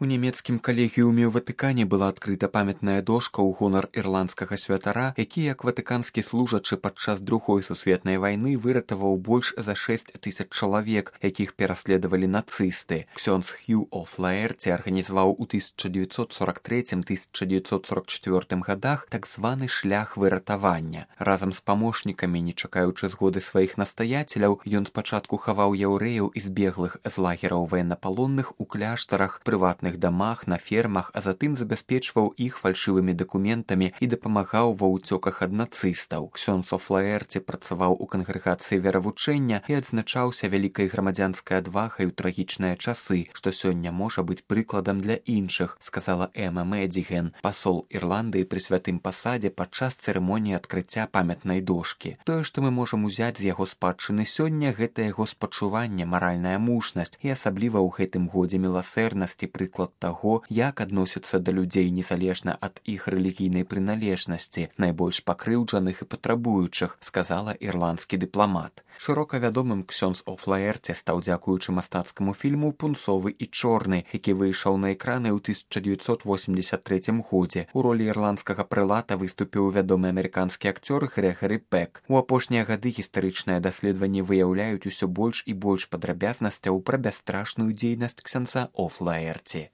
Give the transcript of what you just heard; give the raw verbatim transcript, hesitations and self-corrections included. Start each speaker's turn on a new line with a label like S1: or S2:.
S1: У нямецкім калегіуме ў Ватыкане была адкрыта памятная дошка ў гонар ірландскага святара, які як ватыканскі служачы падчас другой сусветнай вайны выратаваў больш за шэсць тысяч чалавек, якіх пераследавалі нацысты. Ксёндз Хью О'Флаэрці арганізаваў у тысяча дзевяцьсот сорок трэцім — тысяча дзевяцьсот сорок чацвёртым гадах так званы шлях выратавання. Разам з памочнікамі, не чакаючы згоды сваіх настаяцеляў, ён спачатку хаваў яўрэяў і збеглых з лагераў ваеннапалонных у кляштарах, прыватных дамах, на фермах, а затым забяспечваў іх фальшывымі дакументамі і дапамагаў ва ўцёках ад нацыстаў. Ксёндз О'Флаэрці працаваў у кангрэгацыі веравучэння і адзначаўся вялікай грамадзянскай адвагай у трагічныя часы, што сёння можа быць прыкладам для іншых, сказала Эма Медзіген, пасол Ірландыі пры святым пасадзе падчас цырымоніі адкрыцця памятнай дошкі. Тое, што мы можам узяць з яго спадчыны сёння, гэта яго спачуванне, маральная мужнасць і асабліва ў гэтым годзе міласэрнасці прыклад таго, як адносяцца да людзей незалежна ад іх рэлігійнай прыналежнасці, найбольш пакрыўджаных і патрабуючых, сказала ірландскі дыпламат. Шырока вядомым Ксёндз О'Флаэрці стаў дзякуючы мастацкаму фільму «Пунцовы і чорны», які выйшаў на экраны ў тысяча дзевяцьсот восемьдесят трэцім годзе. У ролі ірландскага прылата выступіў вядомы амерыканскі акцёр Грэгары Пек. У апошнія гады гістарычныя даследаванні выяўляюць усё больш і больш падрабязнасцяў пра бясстрашную дзейнасць ксяндза О'Флаэрці.